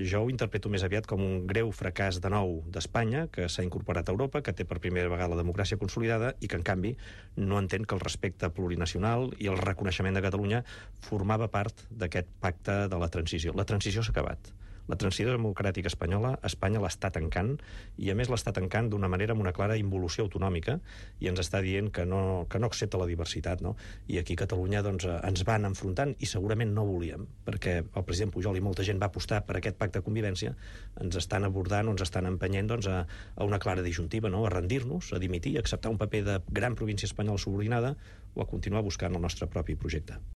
jo ho interpreto més aviat com un greu fracàs de nou d'Espanya, que s'ha incorporat a Europa, que té per primera vegada la democràcia consolidada i que, en canvi, no entén que el respecte plurinacional i el reconeixement de Catalunya formava part d'aquest pacte de la transició. La transició s'ha acabat. La transició democràtica espanyola, Espanya l'està tancant, i a més l'està tancant d'una manera amb una clara involució autonòmica, i ens està dient que no accepta la diversitat, no? I aquí a Catalunya doncs, ens van enfrontant, i segurament no volíem, perquè el president Pujol i molta gent va apostar per aquest pacte de convivència, ens estan abordant o ens estan empenyent doncs, a una clara disjuntiva, no? A rendir-nos, a dimitir, a acceptar un paper de gran província espanyola subordinada, o a continuar buscant el nostre propi projecte.